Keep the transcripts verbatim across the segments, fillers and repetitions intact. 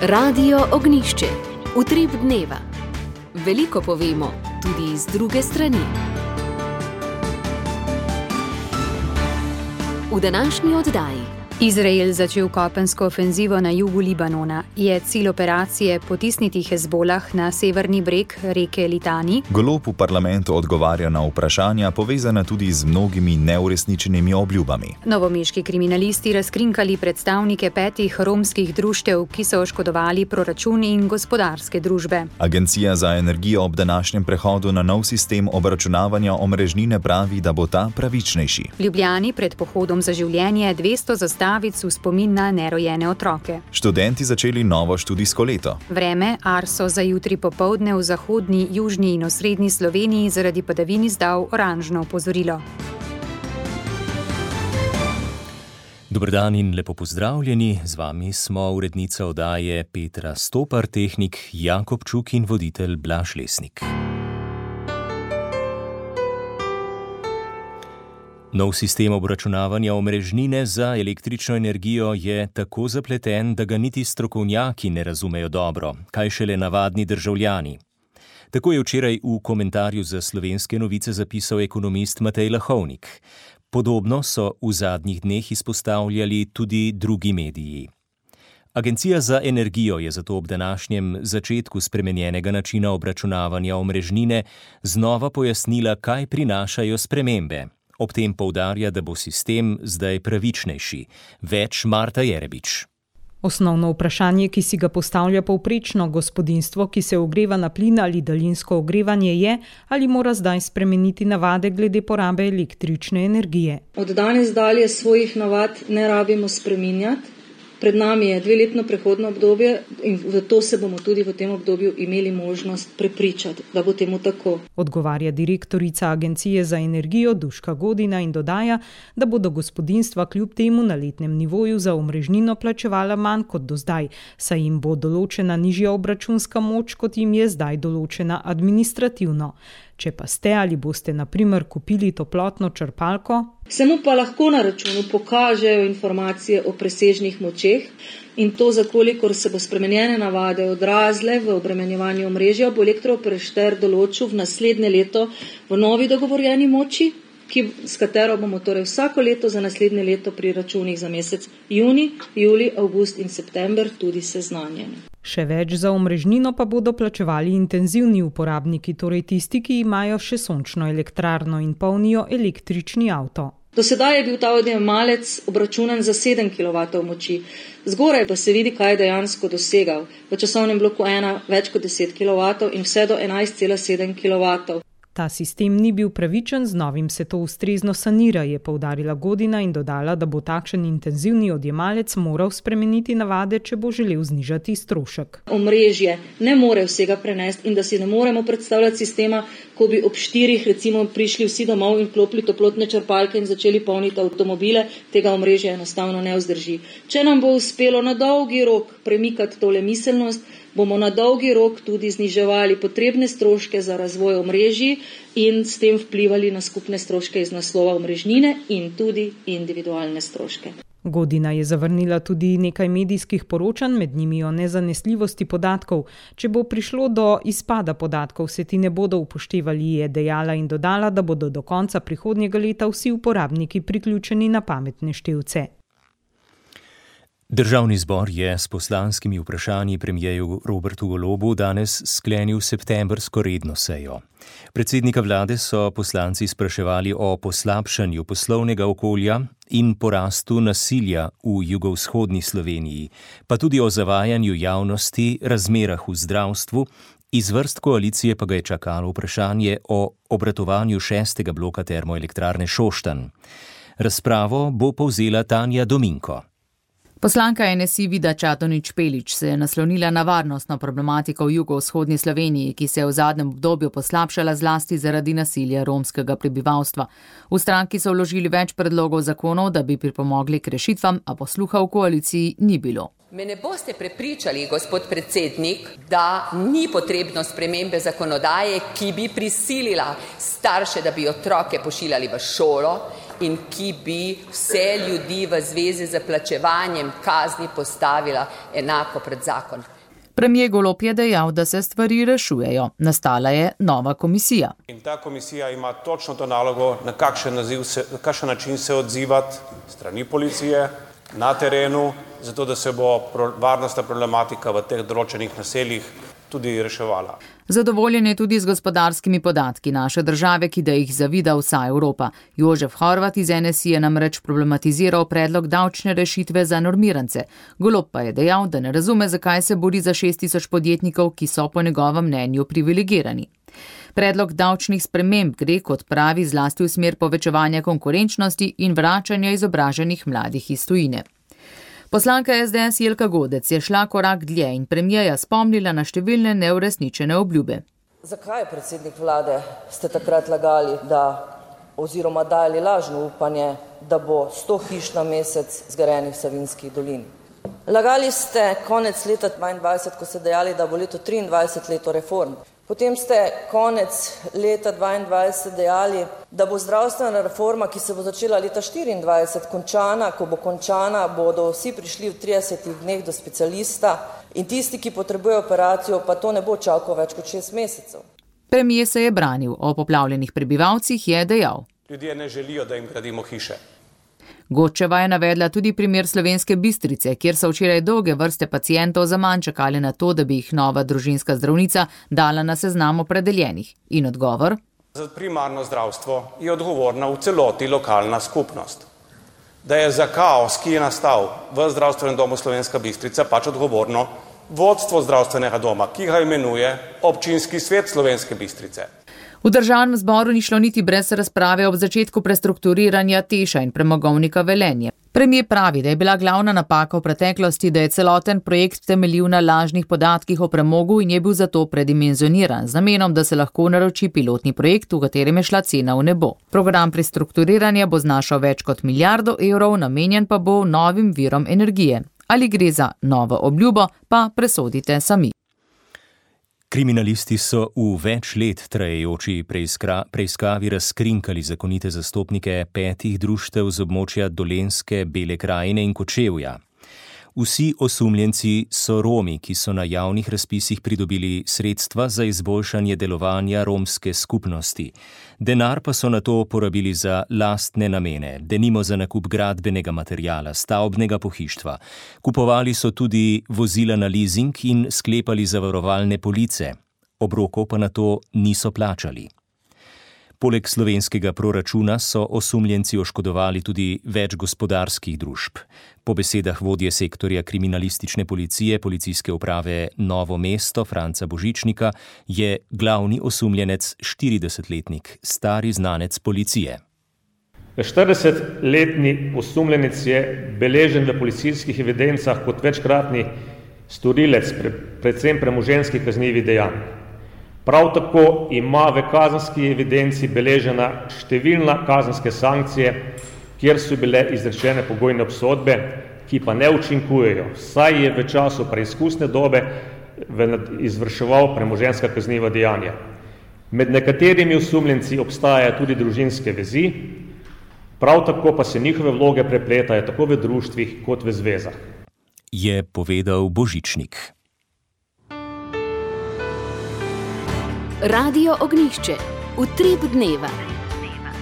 Radio Ognjišče. Utrip dneva. Veliko povemo, tudi iz druge strani. V današnji oddaji. Izrael začel kopensko ofenzivo na jugu Libanona. Je cilj operacije potisniti Hezbolah na severni breg reke Litani? Golob v parlamentu odgovarja na vprašanja, povezana tudi z mnogimi neuresničenimi obljubami. Novomeški kriminalisti razkrinkali predstavnike petih romskih društev, ki so oškodovali proračun in gospodarske družbe. Agencija za energijo ob današnjem prehodu na nov sistem obračunavanja omrežnine pravi, da bo ta pravičnejši. V Ljubljani pred pohodom za življenje dvesto zastav v spomin na nerojene otroke. Študenti začeli novo študijsko leto. Vreme Arso za jutri popoldne v zahodni, južni in osrednji Sloveniji zaradi padavin izdal oranžno opozorilo. Dober dan in lepo pozdravljeni. Z vami smo urednica oddaje Petra Stopar, tehnik Jakob Čuk in voditelj Blaž Lesnik. Nov sistem obračunavanja omrežnine za električno energijo je tako zapleten, da ga niti strokovnjaki ne razumejo dobro, kaj šele navadni državljani. Tako je včeraj v komentarju za Slovenske novice zapisal ekonomist Matej Lahovnik. Podobno so v zadnjih dneh izpostavljali tudi drugi mediji. Agencija za energijo je zato ob današnjem začetku spremenjenega načina obračunavanja omrežnine znova pojasnila, kaj prinašajo spremembe. Ob tem poudarja, da bo sistem zdaj pravičnejši. Več Marta Jerebič. Osnovno vprašanje, ki si ga postavlja povprečno gospodinjstvo, ki se ogreva na plin ali daljinsko ogrevanje, je, ali mora zdaj spremeniti navade glede porabe električne energije. Od danes dalje svojih navad ne rabimo spreminjati. Pred nami je dveletno prehodno obdobje in v to se bomo tudi v tem obdobju imeli možnost prepričati, da bo temu tako. Odgovarja direktorica Agencije za energijo Duška Godina in dodaja, da bodo gospodinjstva kljub temu na letnem nivoju za omrežnino plačevala manj kot do zdaj, saj jim bo določena nižja obračunska moč, kot jim je zdaj določena administrativno. Če pa ste ali boste na primer kupili toplotno črpalko, se mu pa lahko na računu pokažejo informacije o presežnih močeh in to, zakolikor se bo spremenjene navade odrazile v obremenjevanju omrežja, bo elektrooperater določil v naslednje leto v novi dogovorjeni moči, ki, s katero bomo torej vsako leto za naslednje leto pri računih za mesec juni, juli, avgust in september tudi seznanjeni. Še več, za omrežnino pa bodo plačevali intenzivni uporabniki, torej tisti, ki imajo še sončno elektrarno in polnijo električni avto. Do sedaj je bil ta odjemalec obračunan za sedem kilovatov moči. Zgoraj pa se vidi, kaj je dejansko dosegal. V časovnem bloku ena več kot deset kilovatov in vse do enajst cela sedem kilovatov. Ta sistem ni bil pravičen, z novim se to ustrezno sanira, je poudarila Godina in dodala, da bo takšen intenzivni odjemalec moral spremeniti navade, če bo želel znižati strošek. Omrežje ne more vsega prenesti in da si ne moremo predstavljati sistema, ko bi ob štirih recimo prišli vsi domov in klopili toplotne črpalke in začeli polniti avtomobile, tega omrežja enostavno ne vzdrži. Če nam bo uspelo na dolgi rok premikati tole miselnost, bomo na dolgi rok tudi zniževali potrebne stroške za razvoj omrežij in s tem vplivali na skupne stroške iz naslova omrežnine in tudi individualne stroške. Godina je zavrnila tudi nekaj medijskih poročanj, med njimi o nezanesljivosti podatkov. Če bo prišlo do izpada podatkov, se ti ne bodo upoštevali, je dejala in dodala, da bodo do konca prihodnjega leta vsi uporabniki priključeni na pametne števce. Državni zbor je s poslanskimi vprašanji premierju Robertu Golobu danes sklenil septembrsko redno sejo. Predsednika vlade so poslanci spraševali o poslabšanju poslovnega okolja in porastu nasilja v jugovzhodni Sloveniji, pa tudi o zavajanju javnosti, razmerah v zdravstvu. Iz vrst koalicije pa ga je čakalo vprašanje o obratovanju šestega bloka termoelektrarne Šoštanj. Razpravo bo povzela Tanja Dominko. Poslanka N S I Vida Čadonič Špelič se je naslonila na varnostno problematiko v jugovzhodni Sloveniji, ki se je v zadnjem obdobju poslabšala zlasti zaradi nasilja romskega prebivalstva. V stranki so vložili več predlogov zakonov, da bi pripomogli k rešitvam, a posluha v koaliciji ni bilo. Me ne boste prepričali, gospod predsednik, da ni potrebno spremembe zakonodaje, ki bi prisilila starše, da bi otroke pošiljali v šolo in ki bi vse ljudi v zvezi z plačevanjem kazni postavila enako pred zakon. Premijer Golob je dejal, da se stvari rešujejo. Nastala je nova komisija. In ta komisija ima točno to nalogo, na kakšen, naziv se, na kakšen način se odzivati strani policije na terenu, zato da se bo varnostna problematika v teh določenih naseljih tudi reševala. Zadovoljen je tudi z gospodarskimi podatki naše države, ki da jih zavida vsa Evropa. Jožef Horvat iz N S I je namreč problematiziral predlog davčne rešitve za normirance. Golob pa je dejal, da ne razume, zakaj se bori za šest tisoč podjetnikov, ki so po njegovem mnenju privilegirani. Predlog davčnih sprememb gre, kot pravi, zlasti v smer povečevanja konkurenčnosti in vračanja izobraženih mladih iz tujine. Poslanka S D S Jelka Godec je šla korak dlje in premijerja spomnila na številne neuresničene obljube. Zakaj, predsednik vlade, ste takrat lagali, da oziroma dali lažno upanje, da bo sto hiš na mesec zgrajenih v Savinjski dolini? Lagali ste konec leta dvaindvajset, ko ste dejali, da bo leto triindvajset leto reform. Potem ste konec leta dvaindvajset dejali, da bo zdravstvena reforma, ki se bo začela leta štiriindvajset, končana. Ko bo končana, bodo vsi prišli v tridesetih dneh do specialista in tisti, ki potrebujejo operacijo, pa to ne bo čakal več kot šest mesecev. Premijer se je branil, o poplavljenih prebivalcih je dejal. Ljudje ne želijo, da jim gradimo hiše. Godčeva je navedla tudi primer Slovenske Bistrice, kjer so včeraj dolge vrste pacientov zaman čakali na to, da bi jih nova družinska zdravnica dala na seznam opredeljenih. In odgovor? Za primarno zdravstvo je odgovorna v celoti lokalna skupnost. Da je za kaos, ki je nastal v zdravstvenem domu Slovenska Bistrica, pač odgovorno vodstvo zdravstvenega doma, ki ga imenuje občinski svet Slovenske Bistrice. V državnem zboru ni šlo niti brez razprave ob začetku prestrukturiranja Teša in premogovnika Velenje. Premijer pravi, da je bila glavna napaka v preteklosti, da je celoten projekt temeljil na lažnih podatkih o premogu in je bil zato predimenzioniran, z namenom, da se lahko naroči pilotni projekt, v katerem je šla cena v nebo. Program prestrukturiranja bo znašal več kot milijardo evrov, namenjen pa bo novim virom energije. Ali gre za novo obljubo, pa presodite sami. Kriminalisti so v več let trajajoči preiskavi razkrinkali zakonite zastopnike petih društev z območja Dolenjske, Bele krajine in Kočevja. Vsi osumljenci so Romi, ki so na javnih razpisih pridobili sredstva za izboljšanje delovanja romske skupnosti. Denar pa so nato porabili za lastne namene, denimo za nakup gradbenega materiala, stavbnega pohištva. Kupovali so tudi vozila na lizing in sklepali zavarovalne police. Obrokov pa nato niso plačali. Poleg slovenskega proračuna so osumljenci oškodovali tudi več gospodarskih družb. Po besedah vodje sektorja kriminalistične policije policijske uprave Novo mesto Franca Božičnika je glavni osumljenec štiridesetletnik, stari znanec policije. štiridesetletni osumljenec je beležen v policijskih evidencah kot večkratni storilec predvsem premoženjskih kaznivih dejanj. Prav tako ima v kazenski evidenci beležena številna kazenske sankcije, kjer so bile izrečene pogojne obsodbe, ki pa ne učinkujejo, saj je v času preizkusne dobe izvrševal premoženjska kazniva dejanja. Med nekaterimi osumljenci obstajajo tudi družinske vezi, prav tako pa se njihove vloge prepletajo tako v društvih kot v zvezah. Je povedal Božičnik. Radio Ognjišče. Utrip dneva.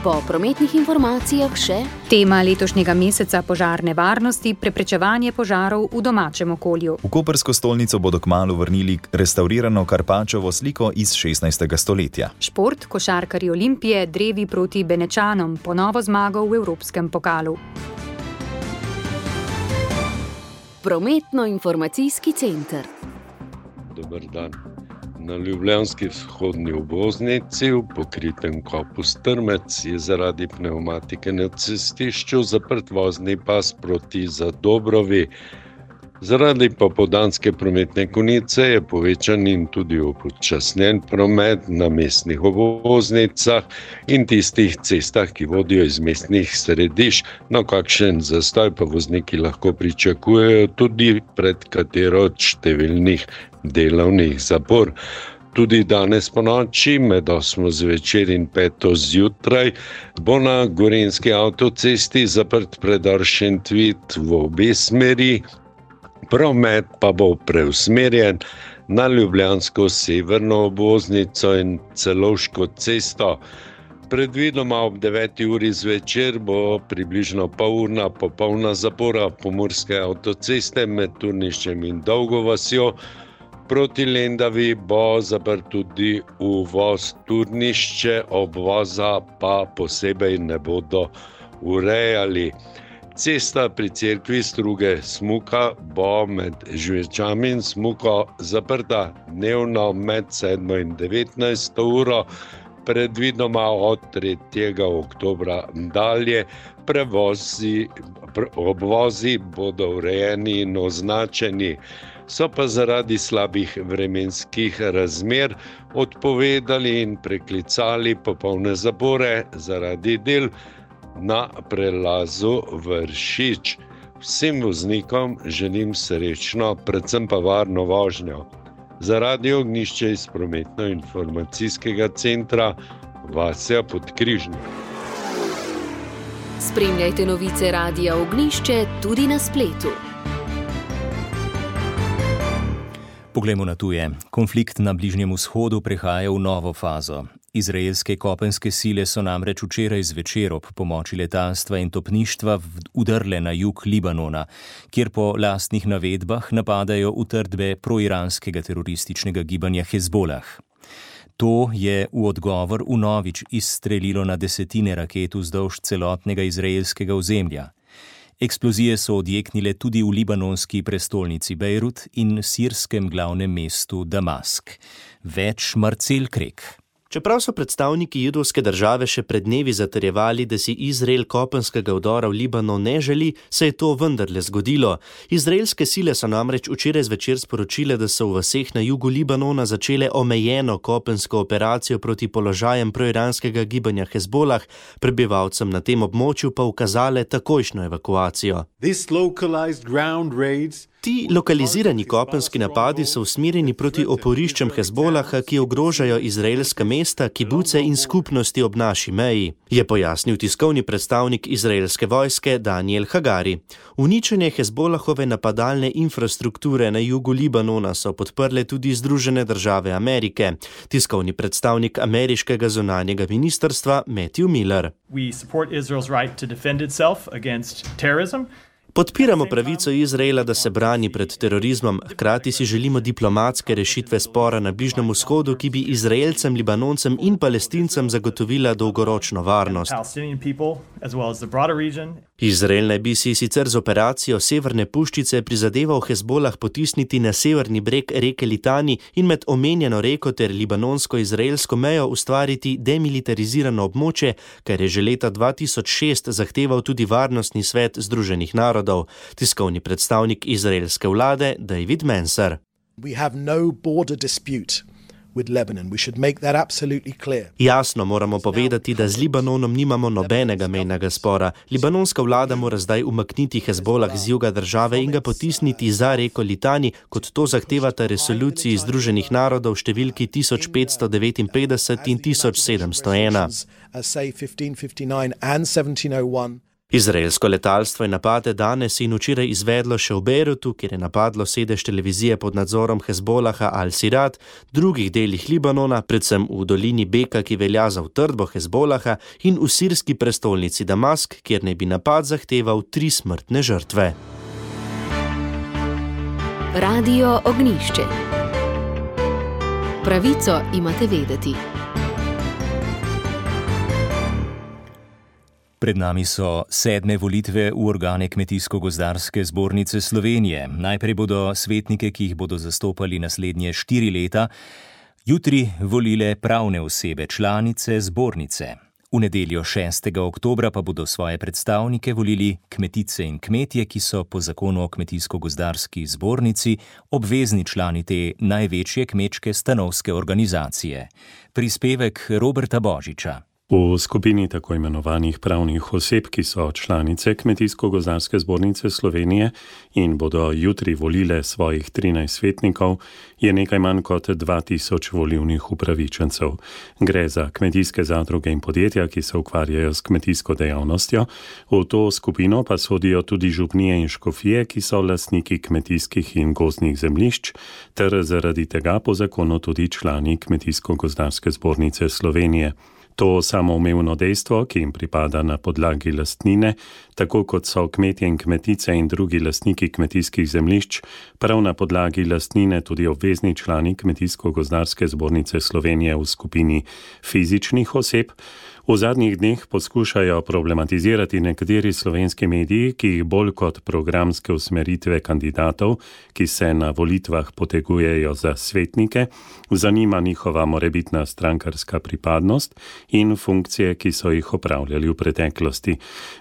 Po prometnih informacijah še tema letošnjega meseca požarne varnosti, preprečevanje požarov v domačem okolju. V koprsko stolnico bodo kmalu vrnili restaurirano Karpačevo sliko iz šestnajstega stoletja. Šport, košarkarji Olimpije, drevi proti Benečanom, ponovo zmago v Evropskem pokalu. Prometno-informacijski center. Dober dan. Na ljubljanski vzhodni obvoznici v pokritem kopu Strmec je zaradi pnevmatike na cestišču zaprt vozni pas proti Zadobrovi. Zaradi popoldanske prometne konice je povečan in tudi upočasnjen promet na mestnih obvoznicah in tistih cestah, ki vodijo iz mestnih središč. No, kakšen zastoj pa vozniki lahko pričakujejo tudi pred katero od številnih delovnih zapor. Tudi danes po noči med osmo zvečer in peto zjutraj bo na gorenjski avtocesti zaprt predor Šentvid v obe smeri. Promet pa bo preusmerjen na ljubljansko severno obvoznico in Celovško cesto. Predvidoma ob deveti uri zvečer bo približno polurna popolna zapora Pomurske avtoceste med Turniščem in Dolgo vasjo. Proti Lendavi bo zaprt tudi uvoz Turnišče, obvoza pa posebej ne bodo urejali. Cesta pri cerkvi Struge Smuka bo med Žvečami in Smuko zaprta dnevno med sedmo in devetnajsto uro, predvidoma od tretjega oktobra dalje. Prevozi, obvozi bodo urejeni in označeni. So pa zaradi slabih vremenskih razmer odpovedali in preklicali popolne zapore zaradi del na prelazu Vršič. Vsem voznikom želim srečno, predvsem pa varno vožnjo. Za Radio Ognjišče iz prometno-informacijskega centra Vasja Podkrižnik. Spremljajte novice Radia Ognjišče tudi na spletu. Poglejmo na tuje. Konflikt na Bližnjem vzhodu prehaja v novo fazo. Izraelske kopenske sile so namreč včeraj zvečer ob pomoči letalstva in topništva udrle na jug Libanona, kjer po lastnih navedbah napadajo utrdbe proiranskega terorističnega gibanja Hezbolah. To je v odgovor vnovič izstrelilo na desetine raket vzdolž celotnega izraelskega ozemlja. Eksplozije so odjeknile tudi v libanonski prestolnici Bejrut in sirskem glavnem mestu Damask. Več Marcel Krek. Čeprav so predstavniki judovske države še pred dnevi zatrjevali, da si Izrael kopenskega vdora v Libanon ne želi, se je to vendarle zgodilo. Izraelske sile so namreč včeraj zvečer sporočile, da so v vaseh na jugu Libanona začele omejeno kopensko operacijo proti položajem proiranskega gibanja Hezbolah, prebivalcem na tem območju pa ukazale takojšnjo evakuacijo. Ti lokalizirani kopenski napadi so usmerjeni proti oporiščem Hezbolaha, ki ogrožajo izraelska mesta, kibuce in skupnosti ob naši meji, je pojasnil tiskovni predstavnik izraelske vojske Daniel Hagari. Uničenje Hezbolahove napadalne infrastrukture na jugu Libanona so podprle tudi Združene države Amerike. Tiskovni predstavnik ameriškega zunanjega ministrstva Matthew Miller. We support Israel's right to defend itself against terrorism. Podpiramo pravico Izraela, da se brani pred terorizmom, hkrati si želimo diplomatske rešitve spora na Bližnjem vzhodu, ki bi Izraelcem, Libanoncem in Palestincem zagotovila dolgoročno varnost. Izrael naj bi si sicer z operacijo Severne puščice prizadeval Hezbolah potisniti na severni breg reke Litani in med omenjeno reko ter libanonsko-izraelsko mejo ustvariti demilitarizirano območje, kar je že leta dva tisoč šest zahteval tudi Varnostni svet Združenih narodov. Tiskovni predstavnik izraelske vlade David Menser. We have no border dispute with Lebanon. We should make that absolutely clear. Jasno moramo povedati, da z Libanonom nimamo nobenega mejnega spora. Libanonska vlada mora zdaj umakniti Hezbolah z juga države in ga potisniti za reko Litani, kot to zahtevata resoluciji Združenih narodov številki tisoč petsto devetinpetdeset in tisoč sedemsto ena. Izraelsko letalstvo je napade danes in včeraj izvedlo še v Bejrutu, kjer je napadlo sedež televizije pod nadzorom Hezbolaha Al-Sirat, drugih delih Libanona, predvsem v dolini Beka, ki velja za utrdbo Hezbolaha, in v sirski prestolnici Damask, kjer naj bi napad zahteval tri smrtne žrtve. Radio Ognjišče. Pravico imate vedeti. Pred nami so sedme volitve v organe Kmetijsko-gozdarske zbornice Slovenije. Najprej bodo svetnike, ki jih bodo zastopali naslednje štiri leta, jutri volile pravne osebe, članice zbornice. V nedeljo šestega oktobra pa bodo svoje predstavnike volili kmetice in kmetje, ki so po zakonu o Kmetijsko-gozdarski zbornici obvezni člani te največje kmečke stanovske organizacije. Prispevek Roberta Božiča. V skupini tako imenovanih pravnih oseb, ki so članice Kmetijsko-gozdarske zbornice Slovenije in bodo jutri volile svojih trinajst svetnikov, je nekaj manj kot dva tisoč volilnih upravičencev. Gre za kmetijske zadruge in podjetja, ki se ukvarjajo s kmetijsko dejavnostjo. V to skupino pa sodijo tudi župnije in škofije, ki so lastniki kmetijskih in gozdnih zemljišč, ter zaradi tega po zakonu tudi člani Kmetijsko-gozdarske zbornice Slovenije. To samoumevno dejstvo, ki jim pripada na podlagi lastnine, tako kot so kmetje in kmetice in drugi lastniki kmetijskih zemljišč, prav na podlagi lastnine tudi obvezni člani Kmetijsko-gozdarske zbornice Slovenije v skupini fizičnih oseb, v zadnjih dneh poskušajo problematizirati nekateri slovenski mediji, ki jih bolj kot programske usmeritve kandidatov, ki se na volitvah potegujejo za svetnike, zanima njihova morebitna strankarska pripadnost in funkcije, ki so jih opravljali v preteklosti.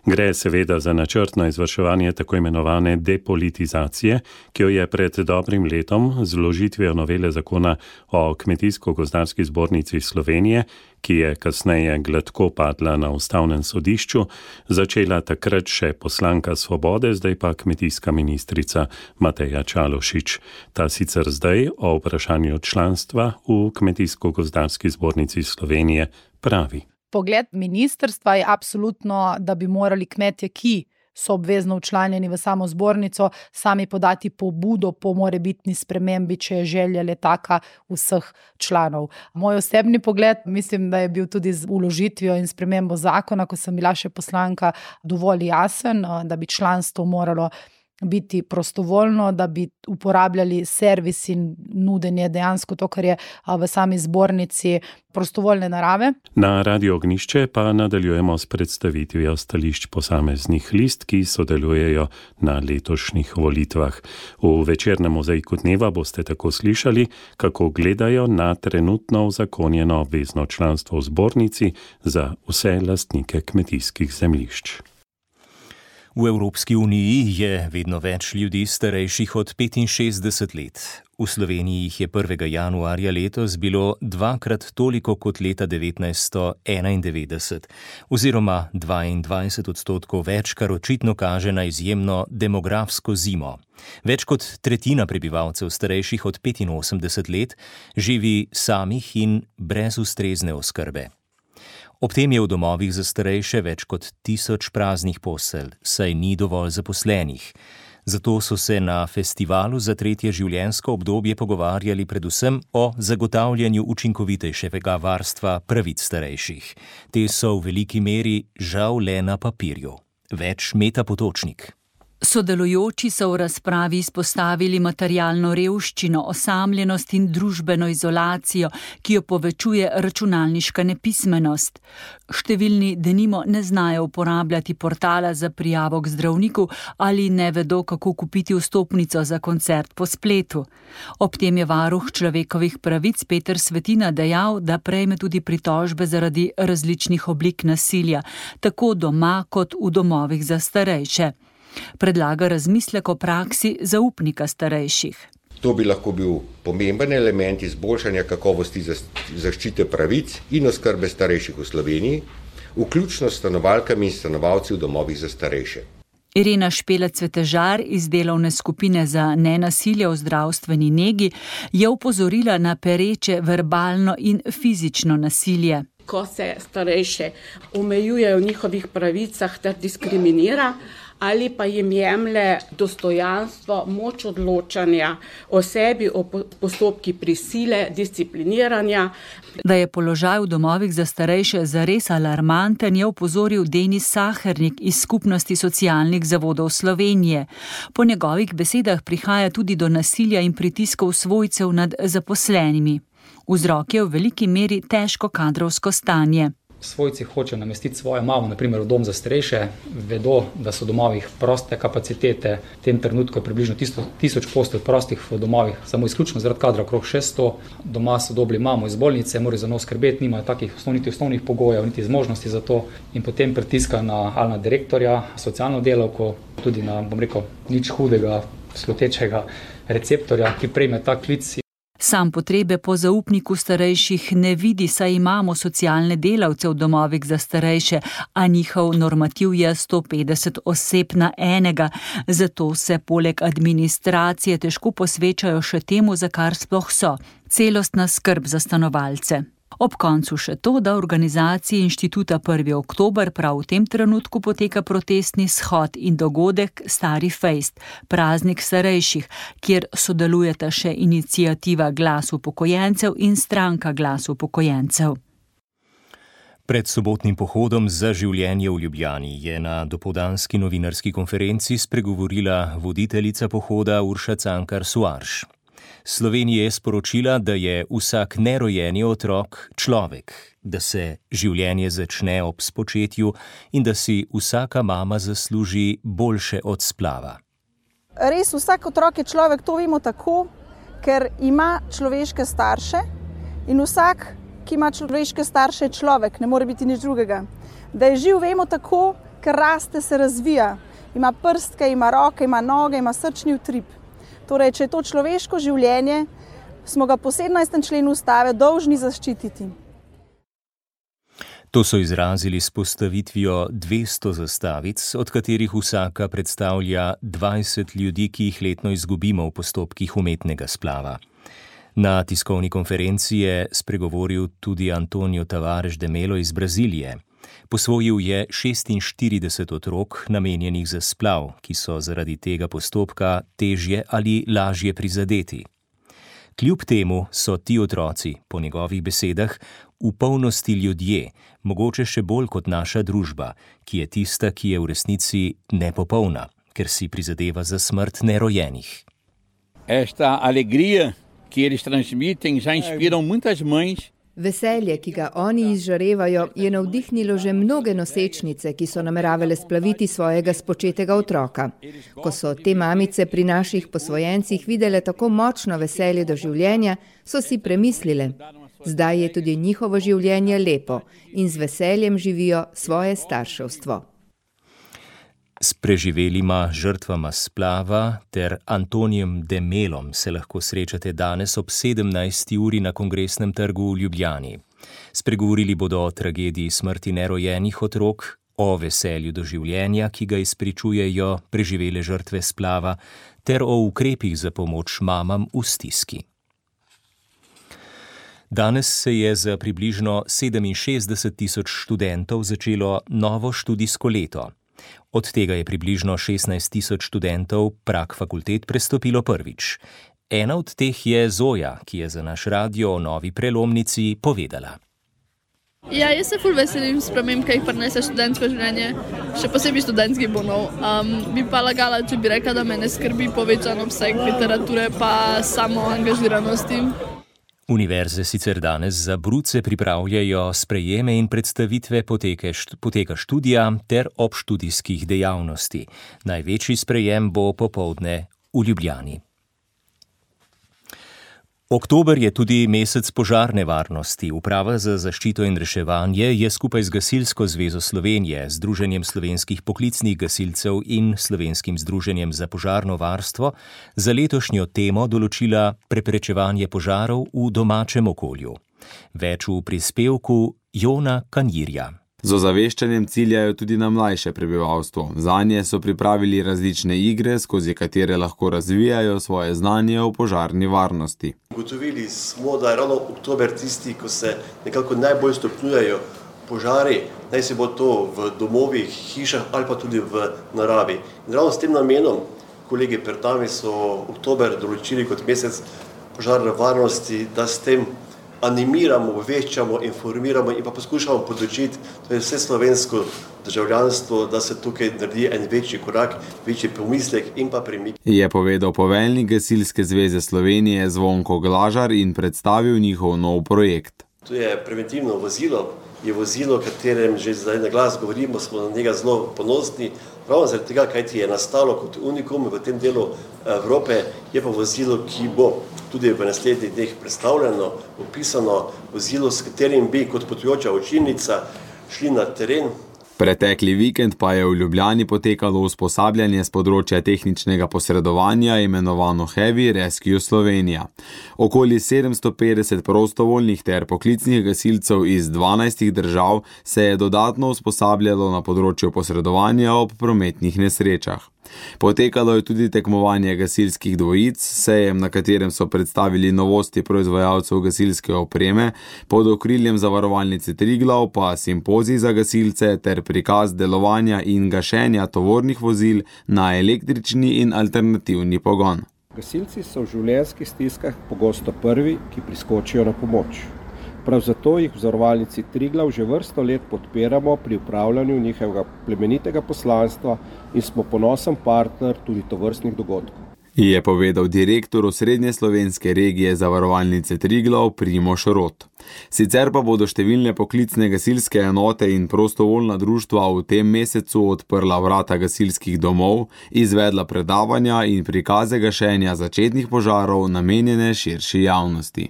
Gre seveda za načrtno izvrševanje tako imenovane depolitizacije, ki jo je pred dobrim letom z vložitvijo novele zakona o Kmetijsko-gozdarski zbornici Slovenije, ki je kasneje gladko padla na ustavnem sodišču, začela takrat še poslanka Svobode, zdaj pa kmetijska ministrica Mateja Čalušić. Ta sicer zdaj o vprašanju članstva v Kmetijsko-gozdarski zbornici Slovenije pravi. Pogled ministrstva je absolutno, da bi morali kmetje, ki so obvezno včlanjeni v samo zbornico, sami podati pobudo po morebitni spremembi, če je želja le taka vseh članov. Moj osebni pogled, mislim, da je bil tudi z vložitvijo in spremembo zakona, ko sem bila še poslanka, dovolj jasen, da bi članstvo moralo biti prostovoljno, da bi uporabljali servis in nudenje dejansko to, kar je v sami zbornici prostovoljne narave. Na Radio Ognjišče pa nadaljujemo s predstavitvijo stališč posameznih list, ki sodelujejo na letošnjih volitvah. V večernem mozaiku dneva boste tako slišali, kako gledajo na trenutno uzakonjeno obvezno članstvo v zbornici za vse lastnike kmetijskih zemljišč. V Evropski uniji je vedno več ljudi starejših od petinšestdeset let. V Sloveniji jih je prvega januarja letos bilo dvakrat toliko kot leta devetnajststo enaindevetdeset, oziroma dvaindvajset odstotkov več, kar očitno kaže na izjemno demografsko zimo. Več kot tretjina prebivalcev starejših od petinosemdeset let živi samih in brez ustrezne oskrbe. Ob tem je v domovih za starejše več kot tisoč praznih postelj, saj ni dovolj zaposlenih. Zato so se na festivalu za tretje življenjsko obdobje pogovarjali predvsem o zagotavljanju učinkovitejšega varstva pravic starejših. Te so v veliki meri žal le na papirju. Več Meta Potočnik. Sodelujoči so v razpravi izpostavili materialno revščino, osamljenost in družbeno izolacijo, ki jo povečuje računalniška nepismenost. Številni denimo ne znajo uporabljati portala za prijavo k zdravniku ali ne vedo, kako kupiti vstopnico za koncert po spletu. Ob tem je varuh človekovih pravic Peter Svetina dejal, da prejme tudi pritožbe zaradi različnih oblik nasilja, tako doma kot v domovih za starejše. Predlaga razmislek o praksi zaupnika starejših. To bi lahko bil pomemben element izboljšanja kakovosti zaščite pravic in oskrbe starejših v Sloveniji, vključno s stanovalkami in stanovalci v domovih za starejše. Irena Špelec-Cvetežar iz delovne skupine za nenasilje v zdravstveni negi je opozorila na pereče verbalno in fizično nasilje. Ko se starejše omejuje v njihovih pravicah ter diskriminira, ali pa jim jemlje dostojanstvo, moč odločanja o sebi, o postopki prisile, discipliniranja. Da je položaj v domovih za starejše zares alarmanten, je opozoril Denis Sahernik iz Skupnosti socialnih zavodov Slovenije. Po njegovih besedah prihaja tudi do nasilja in pritiskov svojcev nad zaposlenimi. Vzrok je v veliki meri težko kadrovsko stanje. Svojci hočejo namestiti svojo mamo, naprimer v dom za starejše, vedo, da so v domovih proste kapacitete, v tem trenutku je približno tisoč postelj prostih v domovih, samo izključno zaradi kadra okrog šeststo, doma so dobili mamo iz bolnice, morajo za njo skrbeti, nimajo takih osnovnih, osnovnih pogojev, niti zmožnosti za to in potem pritiska na, ali na direktorja, socialno delavko, tudi na, bom rekel, nič hudega, slutečega receptorja, ki prejme ta klic. Sam potrebe po zaupniku starejših ne vidi, saj imamo socialne delavce v domovih za starejše, a njihov normativ je sto petdeset oseb na enega, zato se poleg administracije težko posvečajo še temu, za kar sploh so, celostna skrb za stanovalce. Ob koncu še to, da v organizaciji inštituta prvi oktober prav v tem trenutku poteka protestni shod in dogodek Stari fejst, praznik starejših, kjer sodelujeta še iniciativa Glas upokojencev in stranka Glas upokojencev. Pred sobotnim pohodom za življenje v Ljubljani je na dopoldanski novinarski konferenci spregovorila voditeljica pohoda Urša Cankar Suarš. Slovenija je sporočila, da je vsak nerojeni otrok človek, da se življenje začne ob spočetju in da si vsaka mama zasluži boljše od splava. Res vsak otrok je človek, to vemo tako, ker ima človeške starše in vsak, ki ima človeške starše, je človek, ne more biti nič drugega. Da je živ, vemo tako, ker raste, se razvija, ima prstke, ima roke, ima noge, ima srčni utrip. Torej, če je to človeško življenje, smo ga po sedemnajstem členu Ustave dolžni zaščititi. To so izrazili s postavitvijo dvesto zastavic, od katerih vsaka predstavlja dvajset ljudi, ki jih letno izgubimo v postopkih umetnega splava. Na tiskovni konferenci je spregovoril tudi Antonio Tavares de Melo iz Brazilije. Posvojil je šestinštirideset otrok, namenjenih za splav, ki so zaradi tega postopka težje ali lažje prizadeti. Kljub temu so ti otroci, po njegovih besedah, v polnosti ljudje, mogoče še bolj kot naša družba, ki je tista, ki je v resnici nepopolna, ker si prizadeva za smrt nerojenih. Esta alegria que eles transmitem já inspiram muitas mães. Veselje, ki ga oni izžarevajo, je navdihnilo že mnoge nosečnice, ki so nameravale splaviti svojega spočetega otroka. Ko so te mamice pri naših posvojencih videle tako močno veselje do življenja, so si premislile. Zdaj je tudi njihovo življenje lepo in z veseljem živijo svoje starševstvo. S preživelima žrtvama splava ter Antonijem de Melom se lahko srečate danes ob sedemnajsti uri na Kongresnem trgu v Ljubljani. Spregovorili bodo o tragediji smrti nerojenih otrok, o veselju do življenja, ki ga izpričujejo preživele žrtve splava, ter o ukrepih za pomoč mamam v stiski. Danes se je za približno sedeminšestdeset tisoč študentov začelo novo študijsko leto. Od tega je približno šestnajst tisoč študentov prag fakultet prestopilo prvič. Ena od teh je Zoja, ki je za naš radio o novi prelomnici povedala. Ja, jaz se ful veselim sprememb, ki jih prinese študentsko življenje, še posebej študentskih bonov. Um, bi pa lagala, če bi rekla, da me ne skrbi povečan obseg literature pa samo angažiranosti. Univerze sicer danes za bruce pripravljajo sprejeme in predstavitve poteke, poteka študija ter obštudijskih dejavnosti. Največji sprejem bo popoldne v Ljubljani. Oktober je tudi mesec požarne varnosti. Uprava za zaščito in reševanje je skupaj z Gasilsko zvezo Slovenije, Združenjem slovenskih poklicnih gasilcev in Slovenskim združenjem za požarno varstvo za letošnjo temo določila preprečevanje požarov v domačem okolju. Več v prispevku Jona Kanjirja. Z ozaveščanjem ciljajo tudi na mlajše prebivalstvo. Zanje so pripravili različne igre, skozi katere lahko razvijajo svoje znanje o požarni varnosti. Ugotovili smo, da je ravno oktober tisti, ko se nekako najbolj stopnjujejo požari, naj se bo to v domovih, hišah ali pa tudi v naravi. In ravno s tem namenom, kolegi pred nami so oktober določili kot mesec požarne varnosti, da s tem animiramo, obveščamo, informiramo in pa poskušamo podočiti, to je vse slovensko državljanstvo, da se tukaj naredi en večji korak, večji pomislek in pa premik. Je povedal poveljnik Gasilske zveze Slovenije Zvonko Glažar in predstavil njihov nov projekt. To je preventivno vozilo, je vozilo, o katerem že zdaj na glas govorimo, smo na njega zelo ponosni, ravno zaradi tega, kaj ti je nastalo kot unikum v tem delu Evrope, je pa vozilo, ki bo tudi v naslednjih dneh predstavljeno, opisano vozilo, s katerim bi kot potujoča učilnica šli na teren, Pretekli vikend pa je v Ljubljani potekalo usposabljanje z področja tehničnega posredovanja imenovano Heavy Rescue Slovenija. Okoli sedemsto petdeset prostovoljnih ter poklicnih gasilcev iz dvanajstih držav se je dodatno usposabljalo na področju posredovanja ob prometnih nesrečah. Potekalo je tudi tekmovanje gasilskih dvojic, sejem, na katerem so predstavili novosti proizvajalcev gasilske opreme, pod okriljem Zavarovalnice Triglav pa simpozij za gasilce ter prikaz delovanja in gašenja tovornih vozil na električni in alternativni pogon. Gasilci so v življenjskih stiskah pogosto prvi, ki priskočijo na pomoč. Prav zato jih v Zavarovalnici Triglav že vrsto let podpiramo pri upravljanju njihovega plemenitega poslanstva in smo ponosen partner tudi tovrstnih dogodkov. Je povedal direktor osrednje slovenske regije Zavarovalnice Triglav Primož Rot. Sicer pa bodo številne poklicne gasilske enote in prostovoljna društva v tem mesecu odprla vrata gasilskih domov, izvedla predavanja in prikaze gašenja začetnih požarov namenjene širši javnosti.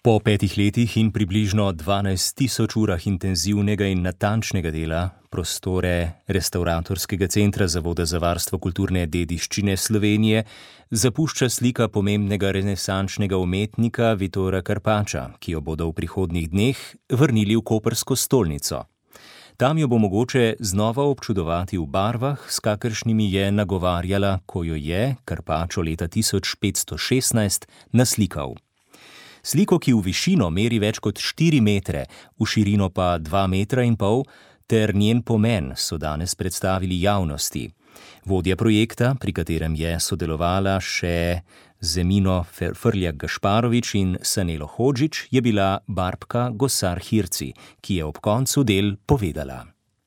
Po petih letih in približno dvanajst tisoč urah intenzivnega in natančnega dela prostore Restavratorskega centra Zavoda za varstvo kulturne dediščine Slovenije zapušča slika pomembnega renesančnega umetnika Vitora Karpača, ki jo bodo v prihodnjih dneh vrnili v koprsko stolnico. Tam jo bo mogoče znova občudovati v barvah, s kakršnimi je nagovarjala, ko jo je Karpačo leta tisoč petsto šestnajst naslikal. Sliko, ki v višino meri več kot štiri metre, v širino pa dva metra in pol, ter njen pomen so danes predstavili javnosti. Vodja projekta, pri katerem je sodelovala še Zemino Frljak Gašparovič in Sanelo Hodžič, je bila Barbka Gosar Hirci, ki je ob koncu del povedala.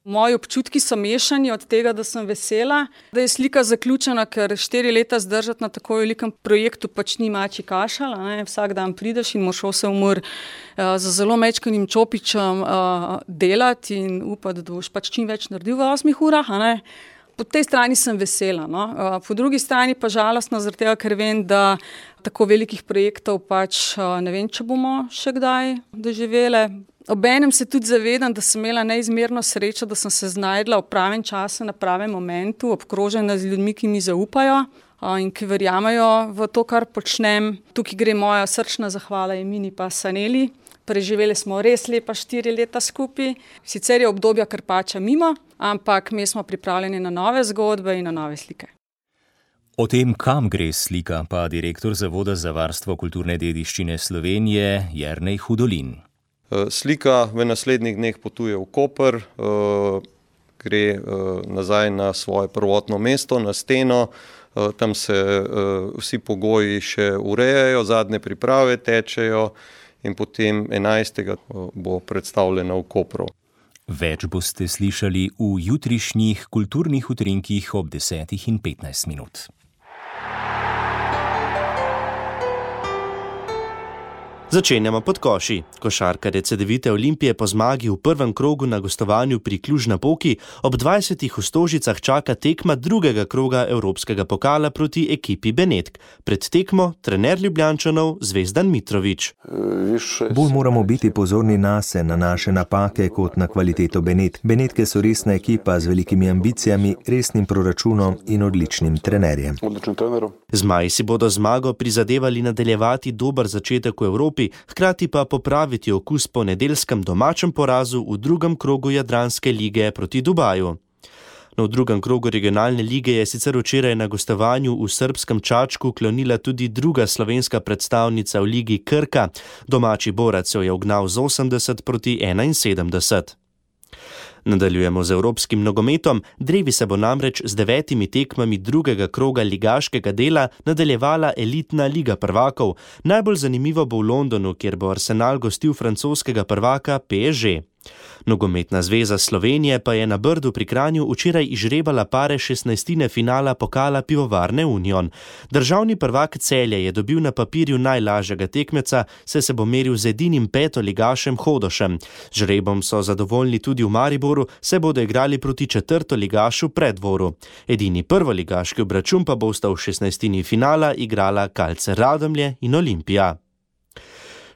Moji občutki so mešani od tega, da sem vesela, da je slika zaključena, ker štiri leta zdržati na tako velikem projektu pač ni mačji kašalj, ne? Vsak dan prideš in moraš osem ur uh, za zelo mečkanim čopičem uh, delati in upati, da boš pač čim več naredil v osmih urah. Ne? Po tej strani sem vesela, no? uh, po drugi strani pa žalostno, zaradi tega, ker vem, da tako velikih projektov pač uh, ne vem, če bomo še kdaj doživele. Obenem se tudi zavedam, da sem imela neizmerno srečo, da sem se znajdla v pravem času, na pravem momentu, obkrožena z ljudmi, ki mi zaupajo in ki verjamajo v to, kar počnem. Tukaj gre moja srčna zahvala Emini pa Saneli. Preživeli smo res lepa štiri leta skupaj. Sicer je obdobja Karpača mimo, ampak mi smo pripravljeni na nove zgodbe in na nove slike. O tem, kam gre slika, pa direktor Zavoda za varstvo kulturne dediščine Slovenije Jernej Hudolin. Slika v naslednjih dneh potuje v Koper, gre nazaj na svoje prvotno mesto, na steno, tam se vsi pogoji še urejajo, zadnje priprave tečejo in potem enajstega bo predstavljena v Kopru. Več boste slišali v jutrišnjih kulturnih utrinkih ob desetih in petnajst minut. Začenjamo pod koši. Košarkarje Cedevite Olimpije po zmagi v prvem krogu na gostovanju pri Cluj-Napoki ob dvajsetih v Stožicah čaka tekma drugega kroga Evropskega pokala proti ekipi Benetk. Pred tekmo trener Ljubljančanov Zvezdan Mitrović. Bolj moramo biti pozorni nase, na naše napake kot na kvaliteto Benetk. Benetke so resna ekipa z velikimi ambicijami, resnim proračunom in odličnim trenerjem. Zmaji si bodo zmago prizadevali nadaljevati dober začetek v Evropi, hkrati pa popraviti okus po nedeljskem domačem porazu v drugem krogu Jadranske lige proti Dubaju. No, v drugem krogu regionalne lige je sicer včeraj na gostovanju v srbskem Čačku klonila tudi druga slovenska predstavnica v ligi Krka. Domači Borac jo je ugnal z osemdeset proti enainsedemdeset. Nadaljujemo z evropskim nogometom. Drevi se bo namreč z devetimi tekmami drugega kroga ligaškega dela nadaljevala elitna liga prvakov. Najbolj zanimivo bo v Londonu, kjer bo Arsenal gostil francoskega prvaka P S G. Nogometna zveza Slovenije pa je na Brdu pri Kranju včeraj izžrebala pare šestnajstine finala pokala Pivovarne Union. Državni prvak Celje je dobil na papirju najlažjega tekmeca, saj se bo meril z edinim petoligašem Hodošem. Z žrebom so zadovoljni tudi v Mariboru, se bodo igrali proti četrtoligašu Preddvoru. Edini prvoligaški obračun pa bo sta v šestnajstini finala igrala Kalce Radomlje in Olimpija.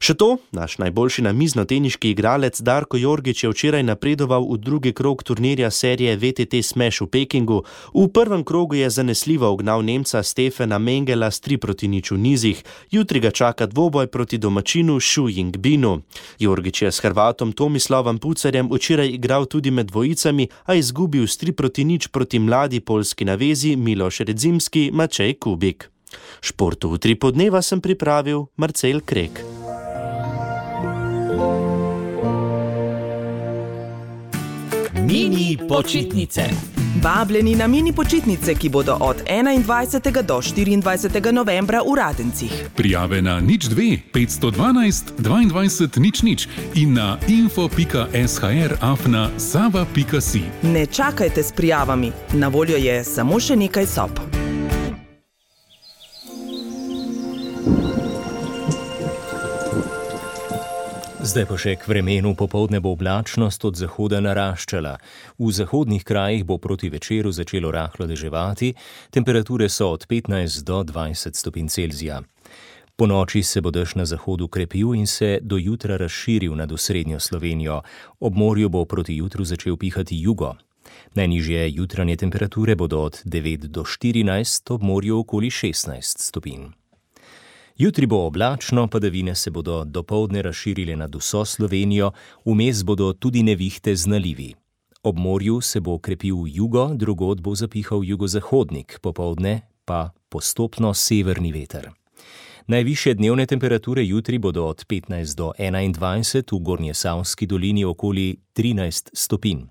Še to, naš najboljši namiznoteniški igralec Darko Jorgić je včeraj napredoval v drugi krog turnirja serije V T T Smash v Pekingu. V prvem krogu je zanesljivo ugnal Nemca Stefana Mengela s tri proti nič v nizih. Jutri ga čaka dvoboj proti domačinu Xu Yingbinu. Jorgić je s Hrvatom Tomislavom Pucarjem včeraj igral tudi med dvojicami, a izgubil s tri proti nič proti mladi poljski navezi Miloš Redzimski Mačej Kubik. Športu v tri podneva sem pripravil Marcel Krek. Mini počitnice. Vabljeni na mini počitnice, ki bodo od enaindvajsetega do štiriindvajsetega novembra v Radencih. Prijave na nič dve petsto dvanajst dvaindvajset nič nič in na info pika s h r afna sava pika si. Ne čakajte s prijavami, na voljo je samo še nekaj sob. Zdaj pa še k vremenu. Popoldne bo oblačnost od zahoda naraščala. V zahodnih krajih bo proti večeru začelo rahlo deževati, temperature so od petnajst do dvajset stopinj Celzija. Po noči se bo dež na zahodu krepil in se do jutra razširil nad osrednjo Slovenijo. Ob morju bo proti jutru začel pihati jugo. Najnižje jutranje temperature bodo od devet do štirinajst, ob morju okoli šestnajst stopinj. Jutri bo oblačno, padavine se bodo dopoldne razširile nad vso Slovenijo, vmes bodo tudi nevihte z nalivi. Ob morju se bo krepil jugo, drugod bo zapihal jugozahodnik, popoldne pa postopno severni veter. Najvišje dnevne temperature jutri bodo od petnajst do enaindvajset, v Gornjesavski dolini okoli trinajst stopinj.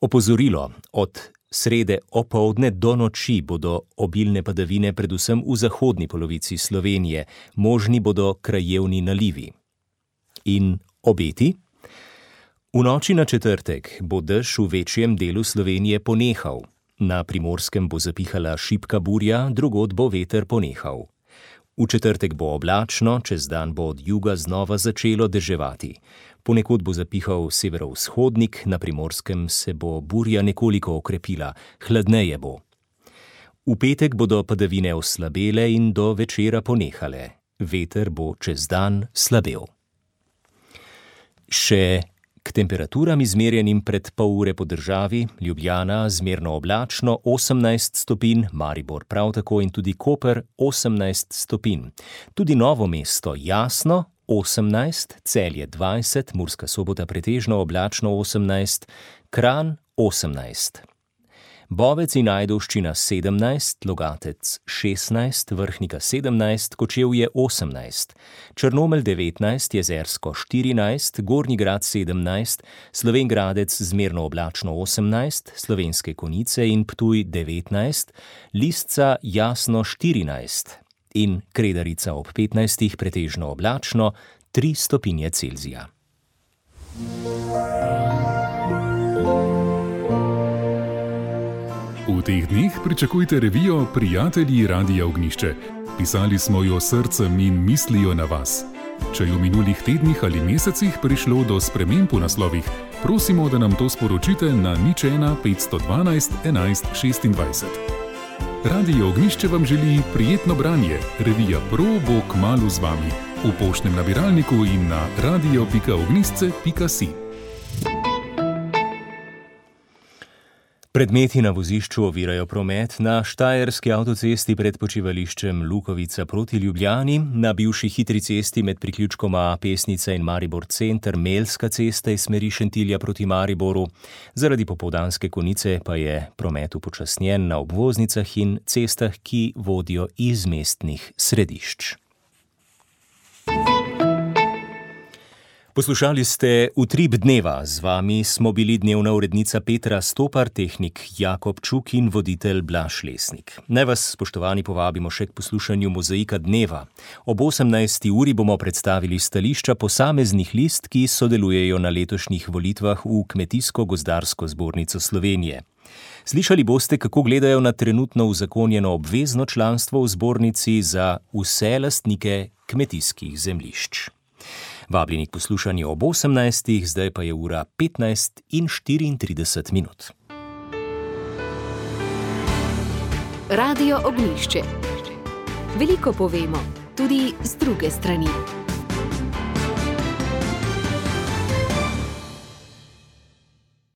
Opozorilo: od srede opoldne do noči bodo obilne padavine predvsem v zahodni polovici Slovenije, možni bodo krajevni nalivi. In obeti? V noči na četrtek bo dež v večjem delu Slovenije ponehal. Na Primorskem bo zapihala šibka burja, drugod bo veter ponehal. V četrtek bo oblačno, čez dan bo od juga znova začelo deževati. Ponekod bo zapihal severovzhodnik, na Primorskem se bo burja nekoliko okrepila, hladneje bo. V petek bodo padavine oslabele in do večera ponehale. Veter bo čez dan slabel. Še k temperaturam izmerjenim pred pol ure po državi: Ljubljana zmerno oblačno osemnajst stopinj, Maribor prav tako in tudi Koper osemnajst stopinj. Tudi Novo mesto jasno osemnajst, Celje dvajset, Murska Sobota pretežno oblačno osemnajst, Kranj osemnajst. Bovec in Ajdovščina sedemnajst, Logatec šestnajst, Vrhnika sedemnajst, Kočevje osemnajst, Črnomelj devetnajst, Jezersko štirinajst, Gornji Grad sedemnajst, Slovenj Gradec zmerno oblačno osemnajst, Slovenske Konjice in Ptuj devetnajst, Lisca jasno štirinajst in Kredarica ob petnajstih pretežno oblačno tri stopinje Celzija. V teh dneh pričakujte revijo Prijatelji Radia Ognjišče. Pisali smo jo srcem in mislijo na vas. Če je v minulih tednih ali mesecih prišlo do sprememb v naslovih, prosimo, da nam to sporočite na nič ena petsto dvanajst enajst šestindvajset. Radio Ognjišče vam želi prijetno branje. Revija Pro bo kmalu z vami. V poštnem nabiralniku in na radio pika ognjišče pika si. Predmeti na vozišču ovirajo promet na štajerski avtocesti pred počivališčem Lukovica proti Ljubljani, na bivši hitri cesti med priključkoma Pesnica in Maribor center Melska cesta iz smeri Šentilja proti Mariboru. Zaradi popoldanske konice pa je promet upočasnjen na obvoznicah in cestah, ki vodijo iz mestnih središč. Poslušali ste Utrip dneva, z vami smo bili dnevna urednica Petra Stopar, tehnik Jakob Čuk in voditelj Blaž Lesnik. Naj vas, spoštovani, povabimo še k poslušanju Mozaika dneva. Ob osemnajsti uri bomo predstavili stališča posameznih list, ki sodelujejo na letošnjih volitvah v Kmetijsko-gozdarsko zbornico Slovenije. Slišali boste, kako gledajo na trenutno uzakonjeno obvezno članstvo v zbornici za vse lastnike kmetijskih zemljišč. Vabljeni k poslušanju ob osemnajstih, zdaj pa je ura petnajst in štiriintrideset minut. Radio Ognjišče. Veliko povemo, tudi z druge strani.